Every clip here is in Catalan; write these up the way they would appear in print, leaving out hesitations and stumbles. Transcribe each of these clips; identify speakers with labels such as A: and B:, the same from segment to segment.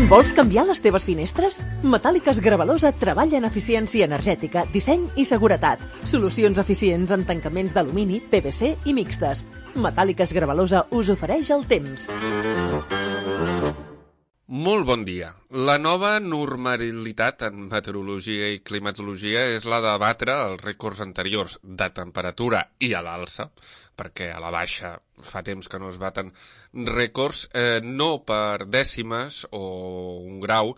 A: Vols canviar les teves finestres? Metàl·liques Gravalosa treballa en eficiència energètica, disseny i seguretat. Solucions eficients en tancaments d'alumini, PVC i mixtes. Metàl·liques Gravalosa us ofereix el temps.
B: Molt bon dia. La nova normalitat en meteorologia i climatologia és la de batre els rècords anteriors de temperatura i a l'alça, perquè a la baixa fa temps que no es baten rècords, no per dècimes o un grau,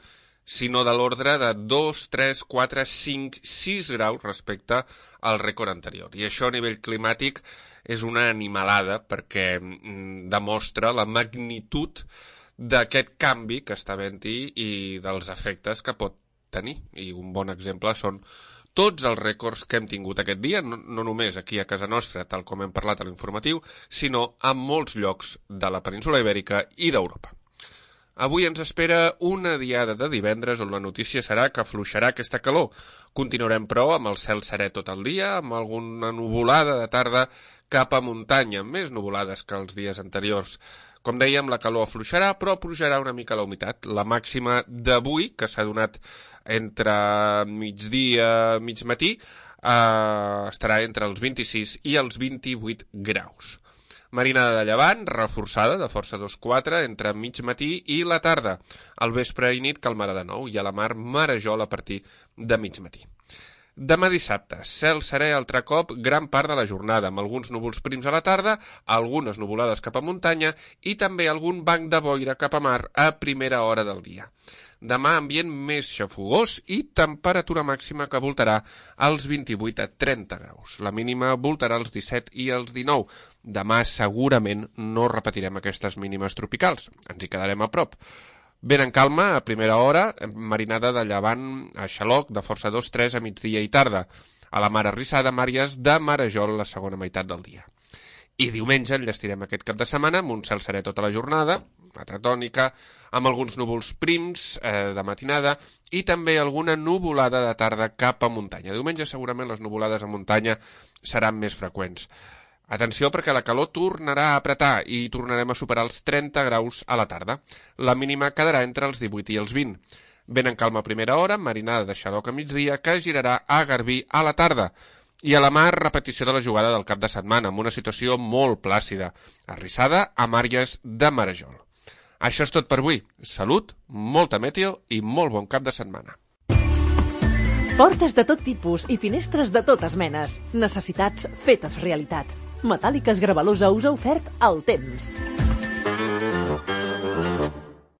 B: sinó de l'ordre de 2, 3, 4, 5, 6 graus respecte al rècord anterior. I això a nivell climàtic és una animalada perquè demostra la magnitud d'aquest canvi que està havent-hi i dels efectes que pot tenir. I un bon exemple són tots els rècords que hem tingut aquest dia, no només aquí a casa nostra, tal com hem parlat a l'informatiu, sinó a molts llocs de la península Ibèrica i d'Europa. Avui ens espera una diada de divendres on la notícia serà que afluixarà aquesta calor. Continuarem, però, amb el cel serè tot el dia, amb alguna nuvolada de tarda cap a muntanya, més nuvolades que els dies anteriors. Com dèiem, la calor afluixarà, però pujarà una mica la humitat. La màxima d'avui, que s'ha donat entre migdia i mig matí, estarà entre els 26 i els 28 graus. Marinada de llevant, reforçada de força 2-4 entre mig matí i la tarda. Al vespre i nit calmarà de nou i a la mar marejol a partir de mig matí. Demà dissabte, cel serè altre cop gran part de la jornada, amb alguns núvols prims a la tarda, algunes nuvolades cap a muntanya i també algun banc de boira cap a mar a primera hora del dia. Demà ambient més xafogós i temperatura màxima que voltarà als 28 a 30 graus. La mínima voltarà als 17 i als 19. Demà segurament no repetirem aquestes mínimes tropicals, ens hi quedarem a prop. Ben en calma, a primera hora, marinada de llevant a xaloc de força 2-3 a migdia i tarda. A la mar arrissada, màries de marejol la segona meitat del dia. I diumenge enllestirem aquest cap de setmana amb un cel serè tota la jornada, altra tònica, amb alguns núvols prims de matinada i també alguna nuvolada de tarda cap a muntanya. Diumenge segurament les nuvolades a muntanya seran més freqüents. Atenció perquè la calor tornarà a apretar i tornarem a superar els 30 graus a la tarda. La mínima quedarà entre els 18 i els 20. Ben en calma a primera hora, marinada de xaloc a migdia, que girarà a Garbí a la tarda. I a la mar, repetició de la jugada del cap de setmana, amb una situació molt plàcida, arrissada a màries de marejol. Això és tot per avui. Salut, molta meteo i molt bon cap de setmana.
A: Portes de tot tipus i finestres de totes menes. Necessitats fetes realitat. Metàl·liques Gravalosa us ha ofert el temps.